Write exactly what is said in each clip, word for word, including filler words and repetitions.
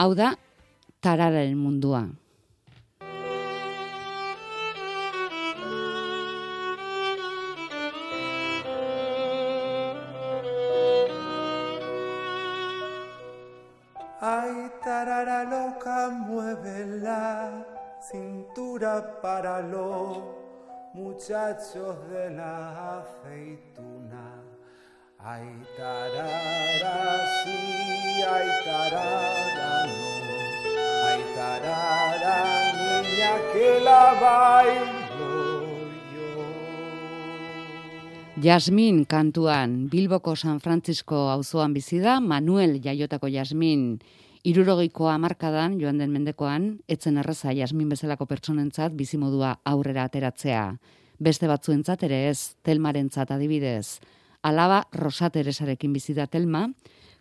Hau da, tarararen mundua. Ay, tarara loca, mueve la cintura para los muchachos de la aceituna. Ay, tarara sí, ay, tarara no. Ay, tarara, niña que la bailo yo. Jasmin kantuan, Bilboko San Francisco auzoan bizi da, Manuel jaiotako Jasmin. Hirurogeiko hamarkadan, joan den mendekoan, etzen erraza Jasmin bezalako pertsonentzat bizimodua aurrera ateratzea. Beste batzuentzat ere ez, Telmarentzat adibidez. Alaba Rosa Teresarekin bizi da Telma,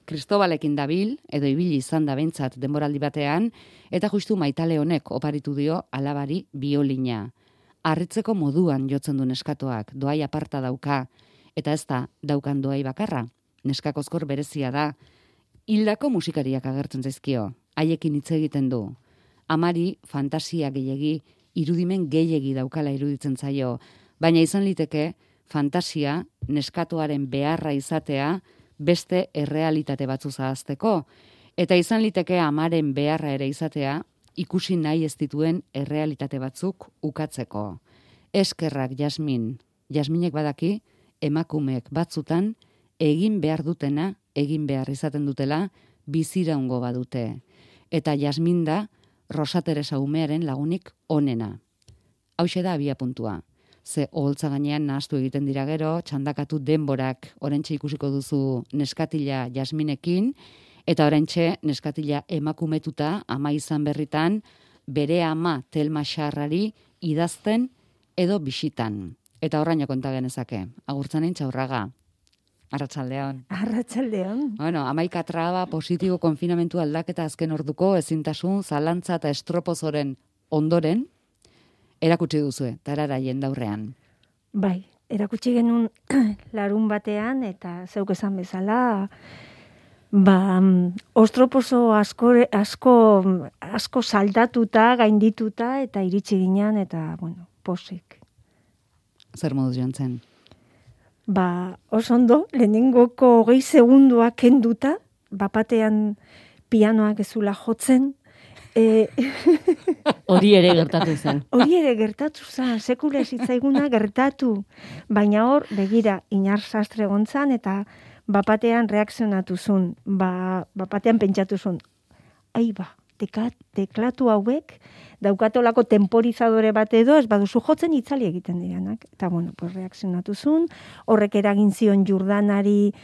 Kristobalekin dabil, edo ibili izan da behintzat denboraldi batean, eta justu Maitale honek oparitu dio alabari biolina. Harritzeko moduan jotzen du neskatoak, doai aparta dauka, eta ez da daukan doai bakarra. Neskakozkor berezia da, hildako musikariak agertzen zaizkio, haiekin hitz egiten du. Amari fantasia gehiegi, irudimen gehiegi daukala iruditzen zaio, baina izan liteke fantasia neskatoaren beharra izatea beste errealitate batzu zahazteko, eta izan liteke amaren beharra ere izatea ikusi nahi ez dituen errealitate batzuk ukatzeko. Eskerrak Jasmin, Jasminek badaki emakumeek batzutan egin behar dutena, egin behar izaten dutela, biziraungo badute. Eta Jasmin da Rosa Teresa umearen lagunik onena. Hauxe da abia puntua. Ze oholtza gainean nahastu egiten dira gero, txandakatu denborak orentxe ikusiko duzu neskatila Jasminekin, eta orentxe neskatila emakumetuta ama izan berritan, bere ama Telma Xarrari idazten edo bisitan. Eta horraino konta genezake. Agurtzanen Txaurraga. Arratsaldeon. Arratsaldeon. Bueno, hamaika traba, positibo konfinamentu aldaketa azken orduko, ezintasun, zalantza eta estropozoren ondoren, erakutsi duzue, tarara jendaurrean. Bai, erakutsi genuen larun batean, eta zeuk esan bezala, ba, ostropozo asko, asko, asko saldatuta, gaindituta, eta iritsi ginean, eta, bueno, posik. Zer moduz joan zen? Ba, oso ondo, lehenengoko hogei segunduak kenduta, bapatean pianoak ezula jotzen, e... Hori ere gertatu zen. Hori ere gertatu zen, sekula zitzaiguna gertatu. Baina hor, begira, Inar Sastre gontzan, eta bapatean reakzionatu zuen, ba, bapatean pentsatu zuen, ai ba, teka, teklatu hauek, daukatolako temporizadore bat edo, ez baduzu jotzen itzali egiten diranak. Eta, bueno, pues reakzionatu zuen, horrek eragin zion Jordanari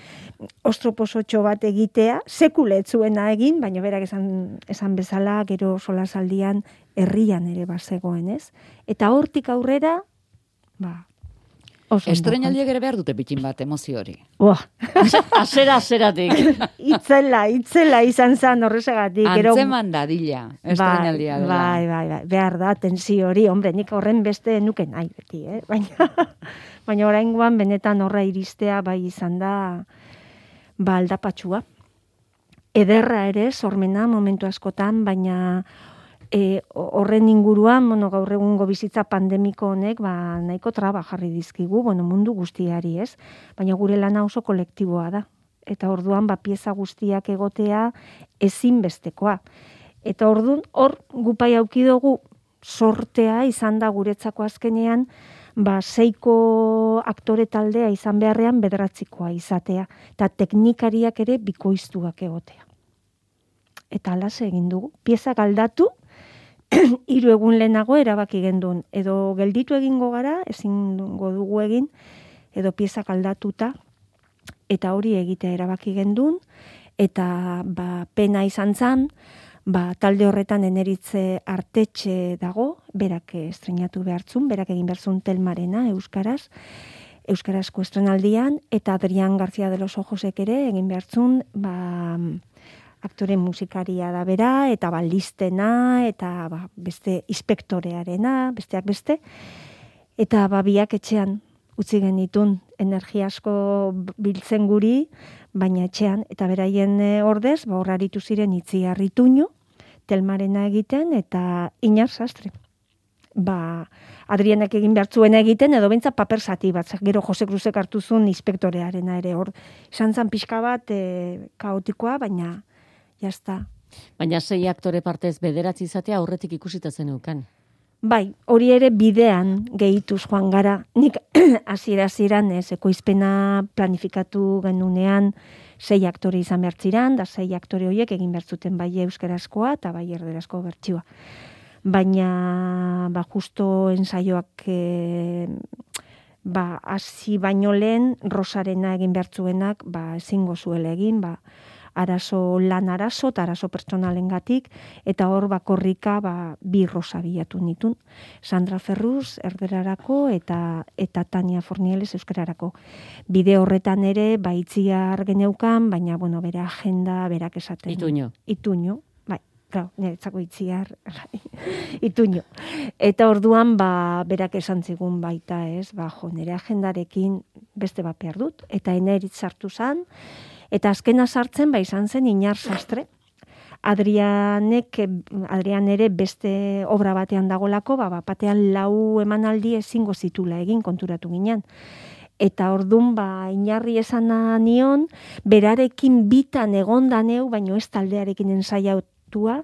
ostroposotxo bat egitea, sekule ez zuena egin, baina berak esan, esan bezala, gero solasaldian herrian ere bazegoen, ez? Eta hortik aurrera, ba, oso. Estrenaldiek ere behar dute pitin bat, emozio hori. Boa. Azera, azeratik. Itzela, itzela izan zan horrezegatik. Antzeman dadila, estrenaldia dela. Bai, bai, bai, behar da, tensio hori, hombre, nik horren beste nuken nahi beti, eh? Baina, baina oraingoan benetan horra iristea bai izan da, ba, aldapatxua. Ederra ere, sormena momentu askotan, baina E, horren inguruan, bueno, gaur egungo bizitza pandemiko honek, ba, nahiko traba jarri dizkigu, bueno, mundu guztiari, ez? Baina gure lana oso kolektiboa da. Eta orduan, ba, pieza guztiak egotea ezinbestekoa. Eta orduan, hor gupai auki dugu sortea izan da guretzako azkenean, ba, seiko aktore taldea izan beharrean bederatzikoa izatea. Eta teknikariak ere bikoiztuak egotea. Eta alase egin dugu. Pieza galdatu, hiru egun lehenago erabaki gendun. Edo gelditu egingo gara, ezingo dugu egin, edo piezak aldatuta, eta hori egitea erabaki gendun, eta ba, pena izan zan, ba, talde horretan Eneritze Artetxe dago, berak estrenatu behartzun, berak egin behartzun Telmarena, euskaraz, euskarazko estrenaldian, eta Adrián García de los Ojosek ere egin behartzun, ba, aktore musikaria da bera, eta balistena, eta ba, beste inspektorearena, besteak beste, eta ba, biak etxean utzi genitun, energia asko biltzen guri, baina etxean, eta beraien ordez, ba, horraritu ziren itzi harrituño, Telmarena egiten, eta Iñar Sastre. Ba, Adrianek egin behartzuena egiten, edo behintzat paper zati bat, gero Jose Cruzek hartu zuen inspektorearena ere, hor, izan zan pixka bat e, kaotikoa, baina, jazta. Baina sei aktore partez bederatzi izatea aurretik ikusita zeneukan. Bai, hori ere bidean gehituz joan gara. Nik hasiera-hasieran ez ekoizpena planifikatu genunean sei aktore izan behar ziran, da sei aktore horiek egin behar zuten bai euskarazkoa eta bai erderazko bertsioa. Baina ba justo ensaioak e, ba hasi baino lehen Rosarena egin behar zuenak ba ezingo zuela egin, ba arazo lan arazo eta arazo pertsonalengatik, eta hor bakorrika ba, bi Rosa bilatu nitun. Sandra Ferruz erderarako eta eta Tania Fornieles euskararako. Bide horretan ere ba itziar geneukan, baina bueno, bere agenda berak esaten. Ituño. Ituño, bai, claro, niretzako itziar Ituño. Eta orduan ba berak esan zigun baita, ez? Ba jo, nire agendarekin beste bat behar dut, eta eneritz sartu zan. Eta azkena sartzen, ba, izan zen Iñar Sastre. Adrianek, Adrian ere beste obra batean dagolako, ba, batean lau emanaldi ezingo zitula egin konturatu ginen. Eta ordun ba, Iñarri esan nion, berarekin bitan egonda neu, baino ez taldearekin ensaiatua,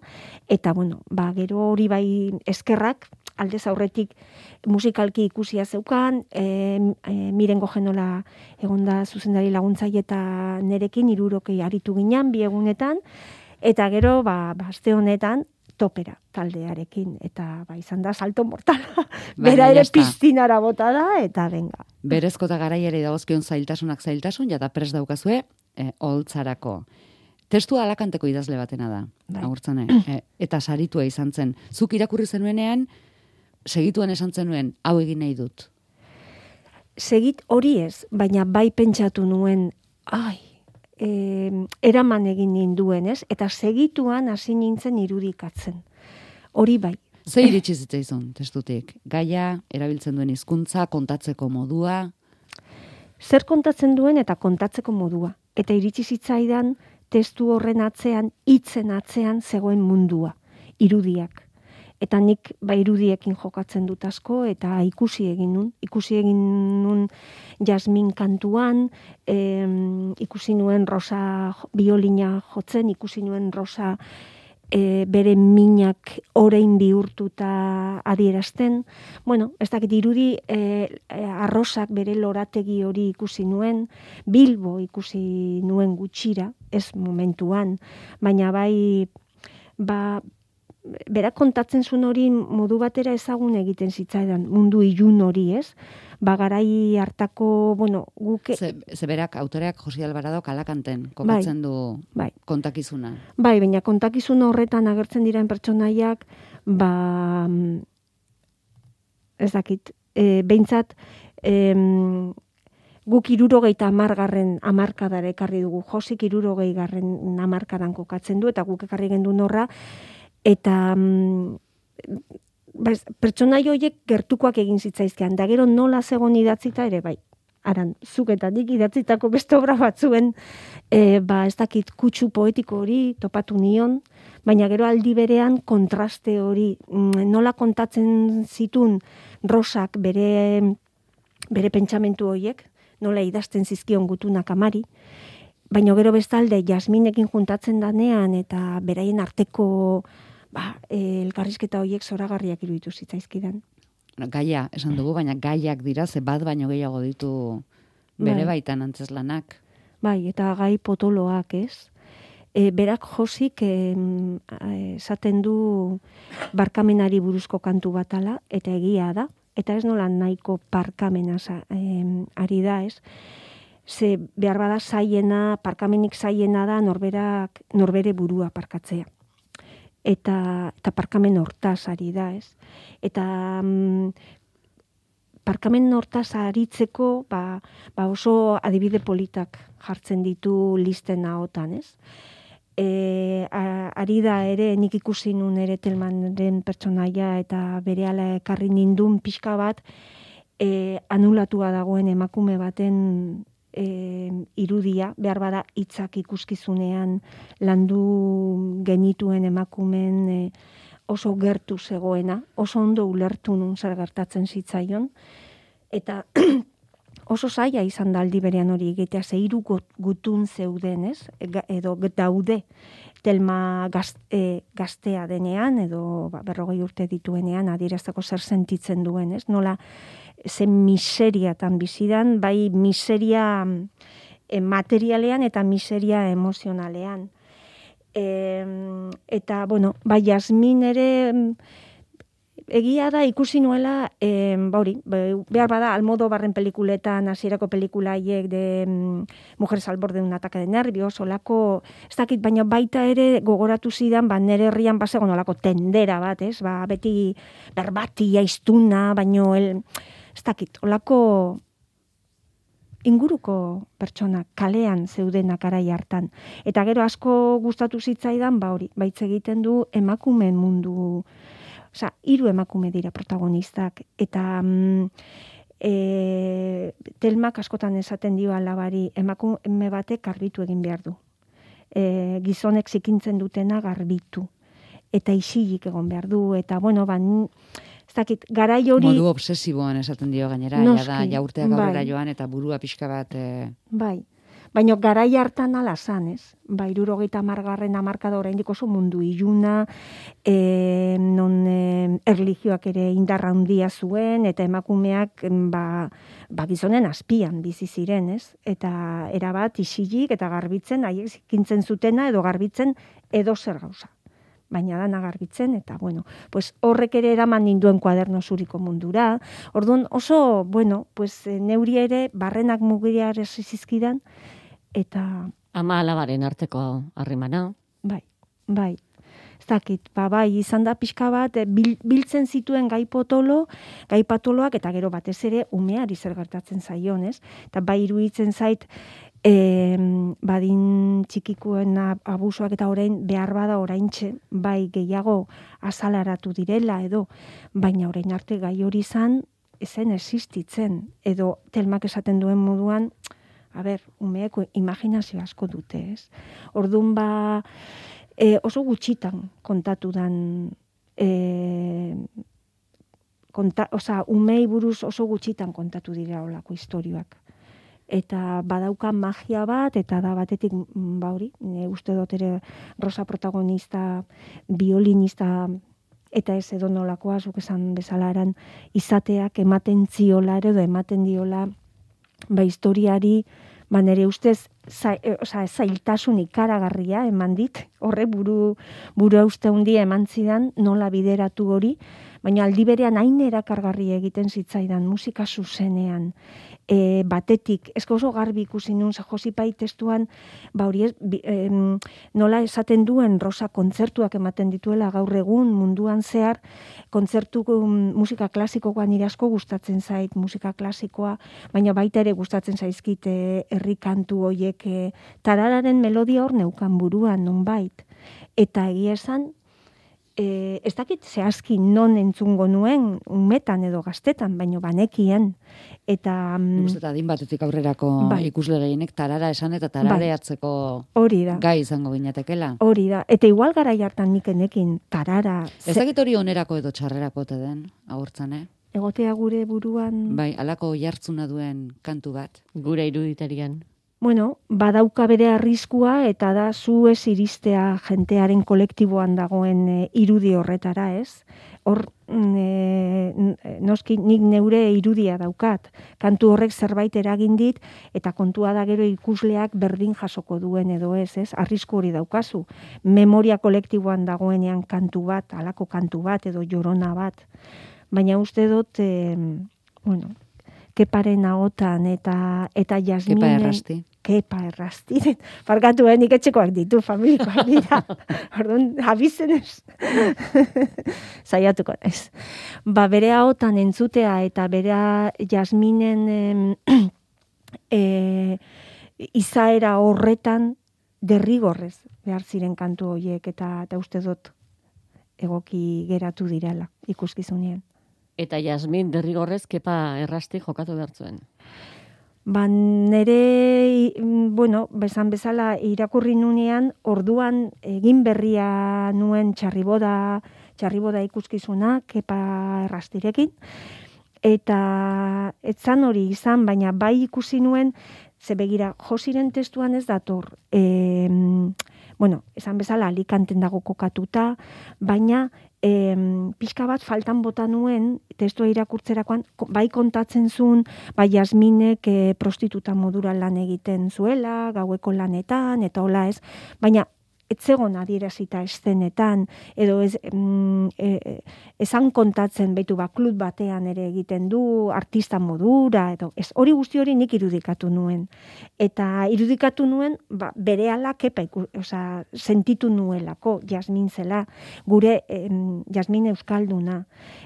eta bueno, ba, gero hori bai eskerrak, aldez aurretik musikalki ikusia zeukan, e, e, Mirengo Genola egonda zuzendari laguntzaile eta nerekin hirurokei aritu ginen bi egunetan, eta gero ba aste honetan topera taldearekin, eta ba izan da salto mortala. Bera ere piztinara bota da, eta benga. Berezko eta garaiari dagozkion zailtasunak zailtasun, jata prest daukazue, e, holtzarako. Testua Alakanteko idazle batena da, bai. Agurtzane, e, eta saritua izan zen. Zuk irakurri zenuenean, segituan esan zenuen, hau egin nahi dut. Segit hori ez, baina bai pentsatu nuen, ai, e, eraman egin ninduen, ez? Eta segituan hasi nintzen irudikatzen. Hori bai. Ze iritsi zitzaizun testutik? Gaia, erabiltzen duen hizkuntza, kontatzeko modua? Zer kontatzen duen eta kontatzeko modua. Eta iritsi zitzaidan testu horren atzean, hitzen atzean zegoen mundua, irudiak. Eta nik ba irudiekin jokatzen dut asko, eta ikusi egin nun. Ikusi egin nun Jasmin kantuan, em, ikusi nuen Rosa biolina jotzen, ikusi nuen Rosa e, bere minak orain bihurtuta adierazten. Bueno, ez dakit irudi e, arrosak bere lorategi hori ikusi nuen, Bilbo ikusi nuen gutxira, ez momentuan, baina bai ba berak kontatzen zuen hori modu batera ezagun egiten zitzaidan, mundu ilun hori, ez? Ba, garai hartako, bueno, guke... Ze, ze berak, autoreak Josi Albaradok Alakanten kokatzen bai, du bai. kontakizuna. Bai, baina kontakizun horretan agertzen diren pertsonaiak, ba, ez dakit, e, behintzat, e, guk hirurogeita hamargarren hamarkadara ekarri dugu, Josik hirurogei garren hamarkadan kokatzen du, eta guk ekarri gendun horra, eta mm, pertsonai horiek gertukoak egin zitzaizkean, da gero nola zegoen idatzita ere bai. Aran, zuk eta nik idatzitako beste obra batzuen, e, ba ez dakit kutsu poetiko hori topatu nion, baina gero aldi berean kontraste hori, mm, nola kontatzen zitun Rosak bere, bere pentsamentu horiek, nola idazten zizkion gutunak amari, baina gero bestalde Jasminekin juntatzen danean eta beraien arteko ba, elkarrizketa horiek zoragarriak iruditu zitzaizkidan. Gaia, esan dugu, baina gaiak dira, ze bat baino gehiago ditu bere bai. baitan antzeslanak. Bai, eta gai potoloak, ez? E, berak Josik esaten du barkamenari buruzko kantu batala, eta egia da, eta ez nola nahiko parkamena eh, ari da, ez? Ze behar bada zaiena, parkamenik zaiena da norberak, norbere burua parkatzea. Eta, eta parkamen hortaz ari da, ez? Eta mm, parkamen hortaz aritzeko ba, ba oso adibide politak jartzen ditu listen ahotan, ez? E, a, ari da ere, nik ikusi nun ere Telmanen pertsonaia eta berehala ekarri nindun pixka bat, e, anulatua dagoen emakume baten e, irudia, behar bada hitzak ikuskizunean landu genituen emakumen e, oso gertu zegoena, oso ondo ulertu nun zer gertatzen zitzaion, eta oso zaila izan da aldi berean hori egitea, ze hiru gutun zeuden, ez? Edo daude Telma gaz, e, gaztea denean, edo ba, berrogei urte dituenean, adierazteko zer sentitzen duen, ez? Nola, zen miseriatan bizidan, bai miseria e, materialean eta miseria emozionalean. E, eta, bueno, bai, Jasmin ere egia da ikusi nuela, e, bauri, behar bada, Almodóvarren pelikuletan, hasierako pelikula haiek de mm, Mujeres al borde de un ataque de nervios, olako, ez dakit, baina baita ere gogoratu zidan, ba, nere herrian basegon olako tendera bat, ez? Ba, beti berbati, aiztuna, baino, el, ez dakit, olako inguruko pertsona kalean zeudenak arai hartan. Eta gero asko gustatu zitzaidan, ba hori, baitz egiten du emakumeen mundu, osea, hiru emakume dira protagonistak, eta mm, e, Telmak askotan esaten dio alabari, emakume batek garbitu egin behar du. E, gizonek zikintzen dutena garbitu. Eta isilik egon behar du, eta bueno, ban, ez dakit, garai hori... Modu obsesiboan esaten dio gainera, noski, ja da, jaurteak aurrera bai. joan, eta burua pixka bat... E... Bai, baina garai hartan ala zan, ez? Ba, hirurogeita hamargarren hamarkada oraindik oso mundu iluna, e, non e, erlijioak ere indarra handia zuen, eta emakumeak ba, ba gizonen azpian bizi ziren, ez? Eta erabat isilik eta garbitzen, haiek zikintzen zutena edo garbitzen edo zer gauza. Baina dana garbitzen, eta bueno, pues horrek ere eraman ninduen kuaderno zuriko mundura. Orduan oso, bueno, pues neuri ere barrenak mugiria zizkidan, eta... Ama alabaren arteko harremana. Bai, bai. Ez dakit, ba, bai, izan da pixka bat, bil, biltzen zituen gai potolo, gai patoloak, eta gero batez ere umeari zer gertatzen zaion, ez? Eta bai iruditzen zait, E, badin txikikoen abusuak eta orain behar bada oraintxe bai gehiago azalaratu direla edo, baina orain arte gai hori izan ezen existitzen edo Telmak esaten duen moduan, a ber, umeek imaginazio asko dute, ez? Orduan ba e, oso gutxitan kontatu dan e, konta, oza, umei buruz oso gutxitan kontatu dira olako istorioak. Eta badauka magia bat, eta da batetik, ba hori, uste dut ere Rosa protagonista, violinista, eta ez edo nolakoa, zuk esan bezalaran, izateak ematen ziola ere, edo ematen diola, ba historiari, ba nere ustez, za, e, oza, zailtasun ikaragarria eman dit, horre buru, buru uste hundia eman zidan, nola bideratu hori, baina aldi berean hain erakargarri egiten zitzaidan musika zuzenean, e, batetik, esko oso garbi ikusi nun, Josipai testuan, ba hori ez, bi, em, nola esaten duen Rosa kontzertuak ematen dituela gaur egun munduan zehar, kontzertu um, musika klasikoa nire asko gustatzen zait, musika klasikoa, baina baita ere gustatzen zaizkit herri kantu hoiek, e, tarararen melodia hor neukan buruan nonbait, eta egia esan, E, ez dakit zehazki non entzungo nuen, umetan edo gaztetan, baino banekien. Eta... Guztetan adin batetik aurrerako bai. Ikusle gehienek tarara esan eta tarareatzeko hori da. Gai izango ginatekela. Hori da. Eta igual garai hartan nikenekin tarara... Ez dakit hori onerako edo txarrerako te den, agurtzan, eh? Egotea gure buruan... Bai, alako jartzuna duen kantu bat. Gure iruditarian. Bueno, badauka bere arriskua eta da zu ez iristea jentearen kolektiboan dagoen e, irudi horretara, ez? Hor, e, noski nik neure irudia daukat. Kantu horrek zerbait eragin dit eta kontua da gero ikusleak berdin jasoko duen edo ez, ez? Arrisku hori daukazu. Memoria kolektiboan dagoenean kantu bat, halako kantu bat edo jorona bat. Baina uste dut, e, bueno, Keparen ahotan eta eta Jasminen... Kepa errasti. Kepa errasti. Farkatu, eh, nik etxekoak ditu, familikoak dira. Orduan, abizenez. Zaiatuko ez. Ba, bere ahotan entzutea eta bere Jasminen eh, eh, izaera horretan derrigorrez behar ziren kantu horiek eta, eta uste dut egoki geratu direla ikuskizunean. Eta Jasmin derrigorrez Kepa errasti jokatu behar zuen. Ba, nere, bueno, bezan bezala irakurri nunean, orduan egin berria nuen txarriboda, txarriboda ikuskizuna, Kepa Errastirekin, eta etzan hori izan, baina bai ikusi nuen, ze begira, Josiren testuan ez dator, e, bueno, esan bezala Alicanten dago kokatuta, baina e, pixka bat faltan bota nuen testua irakurtzerakoan, bai kontatzen zuen, bai Jasminek e, prostituta modura lan egiten zuela, gaueko lanetan, eta hola ez, baina etzegon adierazita eszenetan, edo ez, mm, e, esan kontatzen behitu ba, klub batean ere egiten du, artista modura, edo ez, hori guzti hori nik irudikatu nuen. Eta irudikatu nuen, ba, bere ala kepa, oza, sentitu nuelako, Jasmin zela, gure em, Jasmin euskalduna,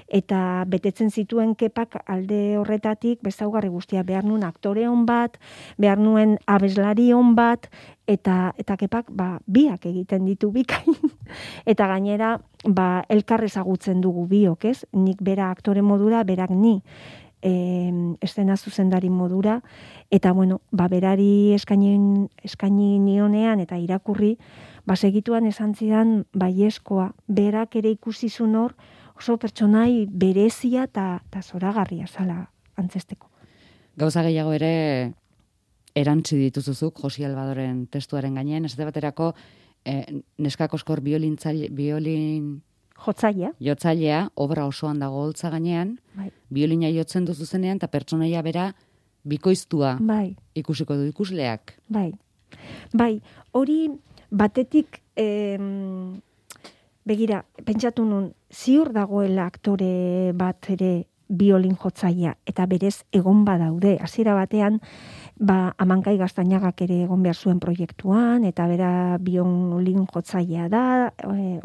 eta betetzen zituen kepak alde horretatik, bezaugarri guztia, behar nuen aktore hon bat, behar nuen abeslari hon bat, eta eta kepak ba biak egiten ditu bikain eta gainera ba elkar ezagutzen dugu biok, ez? Nik bera aktore modura, berak ni eh eszena zuzendari modura eta bueno, ba berari eskaini eskaini nionean eta irakurri ba segituan esan zidan baiezkoa, berak ere ikusi zuen hor oso pertsonai berezia eta ta zoragarria zala antzesteko. Gauza gehiago ere erantzi dituzuzuk Josi Albadoren testuaren gainean, ez baterako eh, neskakoskor biolintzaile, biolin jotzailea, jotzailea, obra osoan dago holtza gainean, bai. Biolina jotzen duzu zenean, eta pertsonaia bera bikoiztua bai. ikusiko du ikusleak. Bai, bai, hori batetik, em, begira, pentsatu nun, ziur dagoela aktore bat ere biolin jotzailea, eta berez egon badaude, hasiera batean, ba, Amankai Gaztainagak ere egon behar zuen proiektuan, eta bera biolin jotzailea da, e,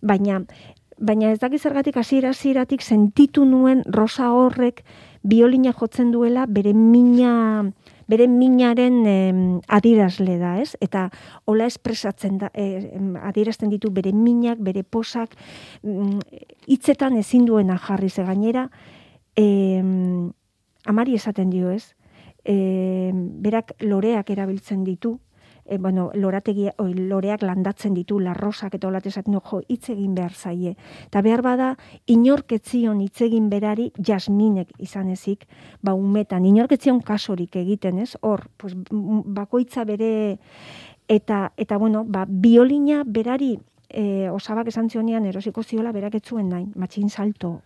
baina, baina ez dakiz zergatik hasiera hasieratik sentitu nuen Rosa horrek biolina jotzen duela bere mina, bere minaren eh, adierazle da, ez? Eta hola espresatzen da, eh, adierazten ditu bere minak, bere posak, hitzetan mm, ezin duena jarri ze gainera, eh, amari esaten dio, ez? E, berak loreak erabiltzen ditu, e, bueno, lorategia, oi, loreak landatzen ditu, larrosak eta holat esaten du, jo, hitz egin behar zaie. Eta behar bada, inorketzion hitz egin berari Jasminek izan ezik, ba, umetan, inorketzion kasorik egiten, ez? Hor, pues, bakoitza bere, eta, eta bueno, ba, biolina berari, e, osabak esan zionean erosiko ziola berak ez zuen nahi, matxin salto,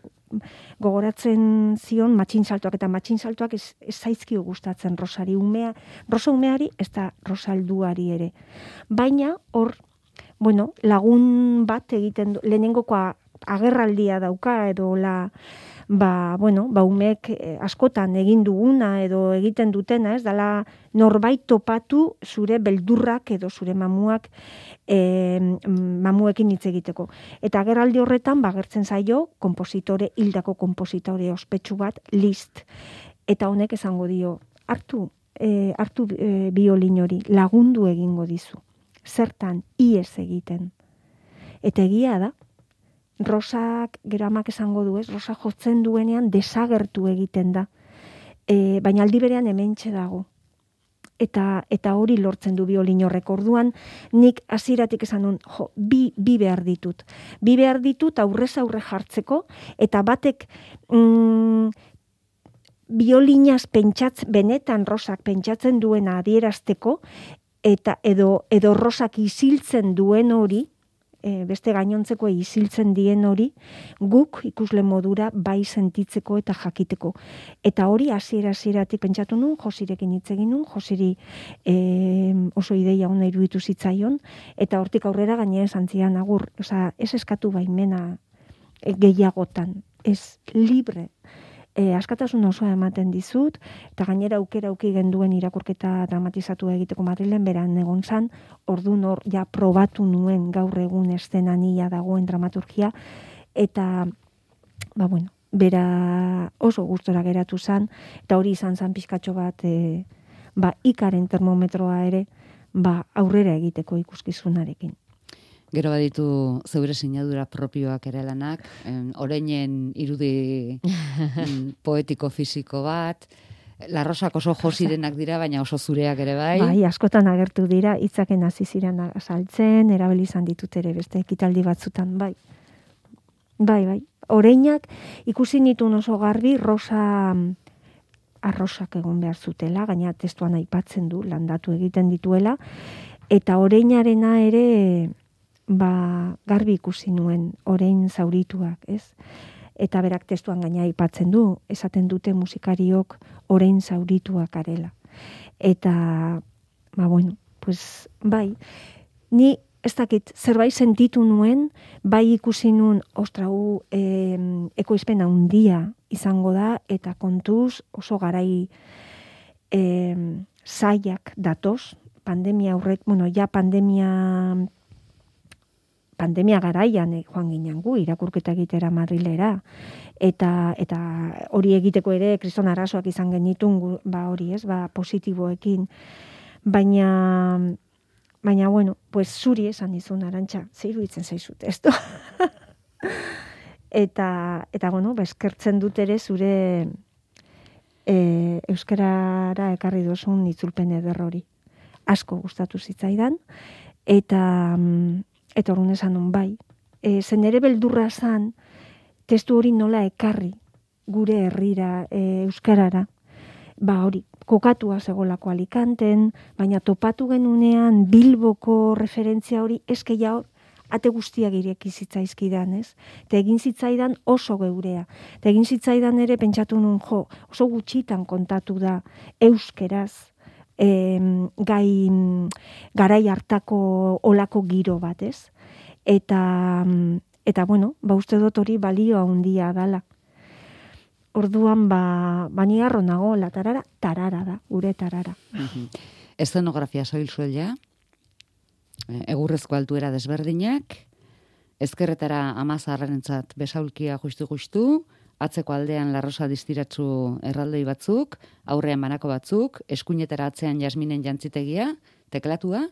gogoratzen zion matxin saltoak eta matxin saltoak ez, ez zaizkio gustatzen Rosari umea, Rosa umeari ez da Rosalduari ere. Baina hor, bueno, lagun bat egiten du, lehenengokoa agerraldia dauka edo la ba, bueno, ba umeek askotan egin duguna edo egiten dutena, ez dala norbait topatu zure beldurrak edo zure mamuak e, mamuekin hitz egiteko. Eta agerraldi horretan bagertzen zaio konpositore, hildako konpositore ospetsu bat, Liszt. Eta honek esango dio, hartu, e, hartu e, biolin hori, lagundu egingo dizu. Zertan, iez egiten. Eta egia da, Rosak, gero amak esango du, ez? Rosa jotzen duenean desagertu egiten da. E, baina aldi berean hementxe dago. Eta, eta hori lortzen du biolin horrek. Orduan, nik hasieratik esan nun, jo, bi, bi behar ditut. Bi behar ditut aurrez aurre jartzeko, eta batek mm, biolinaz pentsatzen, benetan Rosak pentsatzen duena adierazteko, eta edo, edo Rosak isiltzen duen hori, E, beste gainontzeko isiltzen dien hori, guk ikusle modura bai sentitzeko eta jakiteko. Eta hori hasiera hasieratik pentsatu nun, Josirekin hitz egin nun, Josiri e, oso ideia ona iruditu zitzaion, eta hortik aurrera gainera esan zian agur, osea, ez eskatu baimena e, gehiagotan, ez libre. E, askatasun osoa ematen dizut, eta gainera aukera auki genduen irakurketa dramatizatu egiteko Madrilen beran egon zan, ordun hor ja probatu nuen gaur egun eszenania dagoen dramaturgia, eta, ba bueno, bera oso gustora geratu zan, eta hori izan zan pizkatxo bat, e, ba ikaren termometroa ere, ba aurrera egiteko ikuskizunarekin. Gero baditu zeure sinadura propioak ere lanak, oreinen irudi poetiko fisiko bat, Larrosak oso josirenak dira, baina oso zureak ere bai. Bai, askotan agertu dira, hitzaken hasi ziren azaltzen, erabili izan ditut ere beste ekitaldi batzutan, bai. Bai, bai. Oreinak ikusi nituen oso garbi rosa arrosak egon behar zutela, gaina testuan aipatzen du, landatu egiten dituela, eta oreinarena ere ba, garbi ikusi nuen, orein zaurituak, ez? Eta berak testuan gaina aipatzen du, esaten dute musikariok orein zaurituak arela. Eta, ba bueno, pues bai, ni ez dakit, zerbait sentitu nuen, bai ikusi nuen, ostrau, eh, ekoizpen handia izango da, eta kontuz oso garai eh, zaiak datoz, pandemia aurrek, bueno, ja pandemia pandemia garaian eh, joan ginen gu, irakurketa egitera Madrilera, eta eta hori egiteko ere kriston arazoak izan genitun, ba hori ez, ba positiboekin, baina baina bueno, pues zuri esan dizun Arantxa, ze iruditzen zaizut, esto. eta eta bueno, ba eskertzen dut ere zure e, euskarara ekarri duzun itzulpen eder hori. Asko gustatu zitzaidan eta eta orrun esan nun bai. E, zen ere beldurra zan testu hori nola ekarri gure herrira e, euskarara. Ba hori, kokatua zegolako Alicanten, baina topatu genunean Bilboko referentzia hori eske ja ate guztiak ireki zitzaizkidan, ez? Eta egin zitzaidan oso geurea. Eta egin zitzaidan ere pentsatu nun jo, oso gutxitan kontatu da euskeraz, em, gai garai hartako olako giro bat, ez? Eta eta bueno, ba uste dut hori balio handia dala. Orduan ba bani harro nago la tarara, tarara da, gure tarara. Uh-huh. Eszenografia soil suela, egurrezko altuera desberdinak, ezkerretara amazarrenentzat besaulkia justu-justu, atzeko aldean larrosa distiratzu erraldoi batzuk, aurrean banako batzuk, eskuinetara atzean jasminen jantzitegia, teklatua,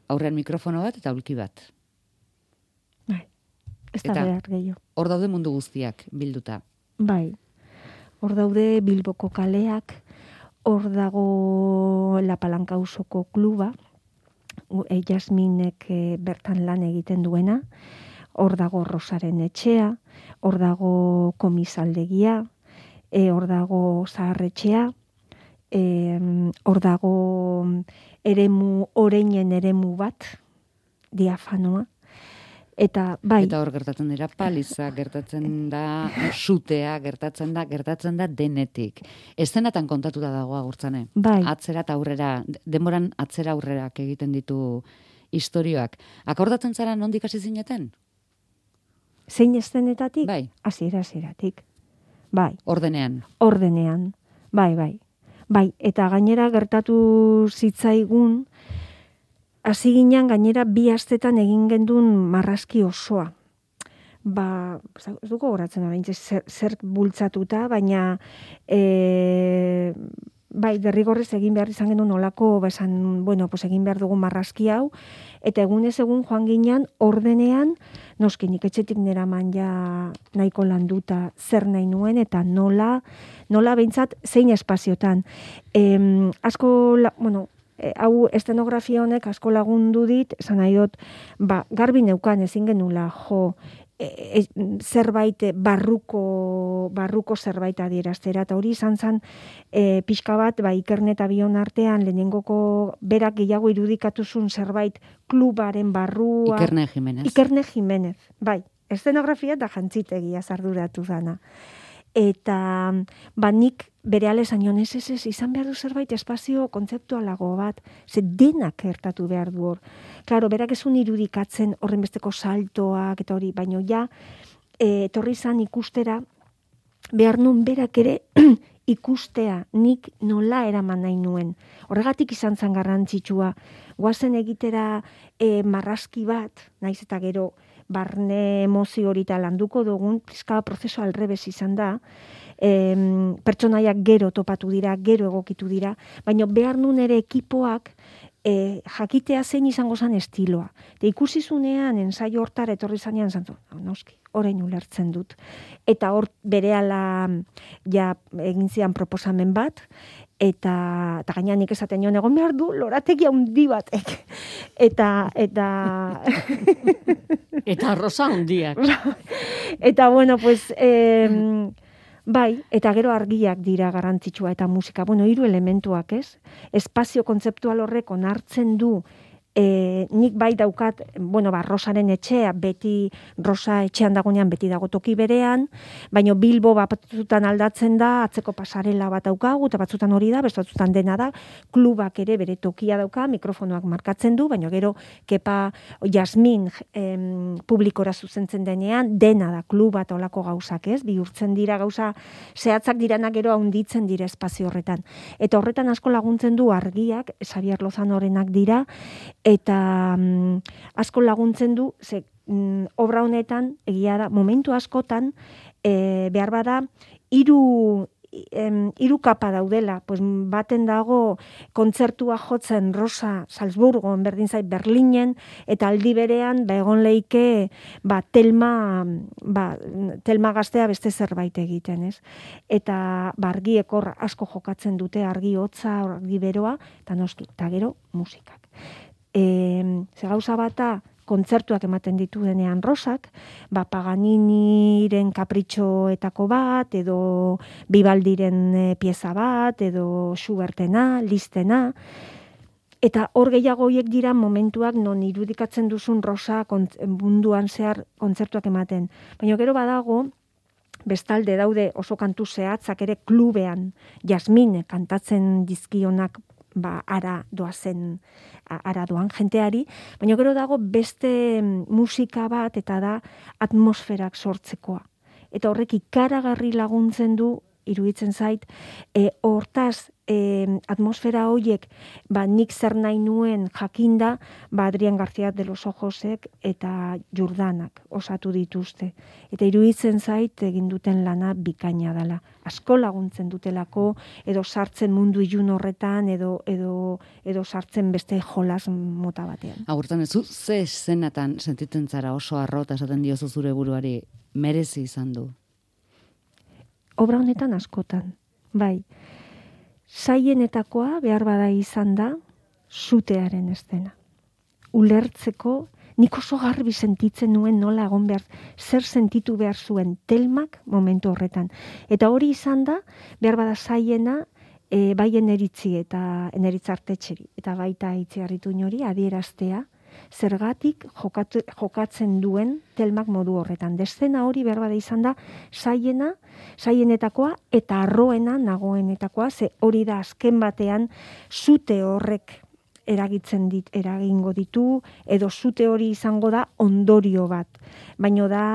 aurrean mikrofono bat eta ulki bat. Bai, ez da behar gehiago. Hor daude mundu guztiak bilduta. Bai, hor daude Bilboko kaleak, hor dago La Palanca auzoko kluba, e, Jasminek e, bertan lan egiten duena, hor dago Rosaren etxea, hor dago komisaldegia, e, hor dago zaharretxea, e, hor dago eremu, oreinen eremu bat, diafanoa, eta bai. Eta hor gertatzen dira paliza, gertatzen da sutea, gertatzen da, gertatzen da denetik. Eszenatan kontatuta dago agurtzane. Bai. Atzera eta aurrera, denboran atzera aurrerak egiten ditu istorioak. Akordatzen zara nondik hasi zineten? Zein eszenetatik? Bai. Hasiera hasieratik. Bai. Ordenean. Ordenean. Bai, bai. Bai, eta gainera gertatu zitzaigun, hasi ginen gainera bi astetan egin gendun marrazki osoa. Ba, ez duko goratzen da, zer, zer bultzatuta, baina e, bai, derrigorrez egin behar izan genuen olako, besan, bueno, pues egin behar dugu marrazki hau, eta egunez egun joan ginen ordenean, noski nik etxetik neraman ja nahiko landuta zer nahi nuen, eta nola, nola behintzat zein espaziotan. E, asko, la, bueno, E, hau estenografia honek asko lagundu dit, esan nahi dut, ba, garbi neukan ezin genula, jo, e, e, zerbait barruko, barruko zerbait adieraztera, eta hori izan zen e, pixka bat, ba, Ikerne eta Bion artean, lehenengoko berak gehiago irudikatuzun zerbait klubaren barrua. Ikerne Jimenez. Ikerne Jimenez, bai, estenografia eta jantzitegia zarduratu dana. Eta ba, nik bere alesan joan ez ez ez, izan behar du zerbait espazio kontzeptualago bat, ze denak gertatu behar du hor. Klaro, berak ezun irudikatzen horren besteko saltoak eta hori, baino ja, e, etorri zan ikustera, behar nun berak ere ikustea, nik nola eraman nahi nuen. Horregatik izan zan garrantzitsua, guazen egitera e, marrazki bat, naiz eta gero, barne emozio hori eta landuko dugun, pizka prozeso alrebez izan da, e, pertsonaiak gero topatu dira, gero egokitu dira, baina behar nun ere ekipoak e, jakitea zein izango zen estiloa. Eta ikusi zunean, ensaio hortara etorri zanean, zantu, noski, orain ulertzen dut. Eta hor berehala ja egin zian proposamen bat, eta, eta gainean nik esaten nion egon behar du, lorategi handi batek. Eta, eta... eta rosa handiak. Eta, bueno, pues... Eh, bai, eta gero argiak dira garrantzitsua eta musika. Bueno, hiru elementuak, ez? Espazio kontzeptual horrek onartzen du E, nik bai daukat, bueno, ba, Rosaren etxea, beti Rosa etxean dagoenean beti dago toki berean, baina Bilbo batzutan aldatzen da, atzeko pasarela bat daukagu, eta batzutan hori da, beste batzutan dena da, klubak ere bere tokia dauka, mikrofonoak markatzen du, baina gero Kepa Jasmin em, publikora zuzentzen denean, dena da kluba eta olako gauzak, ez? Bihurtzen dira gauza, zehatzak diranak gero haunditzen dira espazio horretan. Eta horretan asko laguntzen du argiak, Xabier Lozanorenak dira, eta mm, asko laguntzen du, ze mm, obra honetan, egia da, momentu askotan, e, behar bada, hiru em, hiru kapa daudela, pues, baten dago kontzertua jotzen Rosa Salzburgon, berdin zait Berlinen, eta aldi berean, ba, egon leike, ba, telma, ba, telma gaztea beste zerbait egiten, ez? Eta, ba, argiek hor asko jokatzen dute, argi hotza, argi beroa, eta noski, eta gero musikak. E, ze gauza bata kontzertuak ematen ditu denean Rosak, ba Paganiniren kapritxoetako bat, edo Vivaldiren e, pieza bat, edo Schubertena, Listena, eta hor gehiago horiek dira momentuak non irudikatzen duzun Rosa kont, munduan zehar kontzertuak ematen. Baina gero badago, bestalde daude oso kantu zehatzak ere klubean, Jasmine kantatzen dizkionak ba, ara doazen, ara doan jenteari, baina gero dago beste musika bat eta da atmosferak sortzekoa. Eta horrek ikaragarri laguntzen du, iruditzen zait, e, hortaz e, atmosfera horiek, ba, nik zer nahi nuen jakinda, ba, Adrián García de los Ojosek eta Jordanak osatu dituzte. Eta iruditzen zait egin duten lana bikaina dela. Asko laguntzen dutelako, edo sartzen mundu ilun horretan, edo, edo, edo sartzen beste jolas mota batean. Agurtan ez, zu ze zenatan sentitzen zara oso arrota esaten diozu zure buruari, merezi izan du? Obra honetan askotan, bai. Zaienetakoa behar bada izan da, sutearen estena. Ulertzeko, nik oso garbi sentitzen nuen nola egon behar, zer sentitu behar zuen Telmak momentu horretan. Eta hori izan da, behar bada zaiena, e, bai eneritzi eta eneritzartetxeri, eta baita itziarritu inori, adieraztea, zergatik jokatu, jokatzen duen Telmak modu horretan. Deszena hori behar bada izan da, zaiena, zaienetakoa eta arroena nagoenetakoa, ze hori da azken batean zute horrek eragitzen dit, eragingo ditu, edo zute hori izango da ondorio bat. Baina da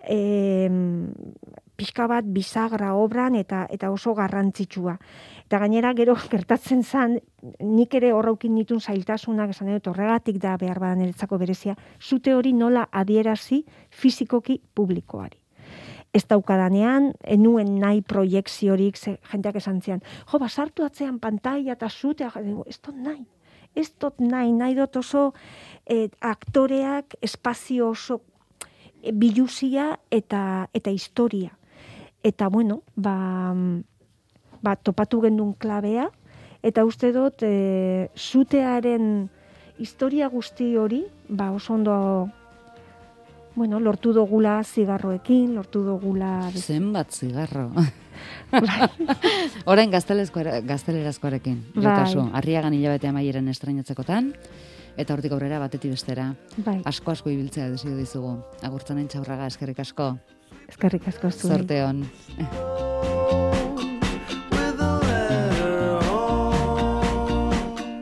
e, pixka bat bisagra obran eta eta oso garrantzitsua. Eta gainera gero gertatzen zan, nik ere horraukin nitun zailtasunak esan dut horregatik da behar badan niretzako berezia, zute hori nola adierazi fizikoki publikoari. Ez daukadanean, enuen nahi proiekziorik, jenteak esan zian, jo, basartu atzean pantaila eta zutea, ez dut nahi, ez dut nahi, nahi dut oso eh, aktoreak espazio oso eh, biluzia eta, eta historia. Eta bueno, ba, ba topatu gendun klabea, eta uste dut e, zutearen historia guzti hori, ba oso ondo, bueno, lortu dugula zigarroekin, lortu dugula... Zenbat zigarro. Orain gaztelerazkoarekin. Bai. Arriagan hilabete amaieran estrainatzekotan, eta hortik aurrera batetik bestera. Bai. Asko-asko ibiltzea desio dizugu. Agurtzanen Txaurraga, eskerrik asko. Eskerrik asko zuen. Zorte hon.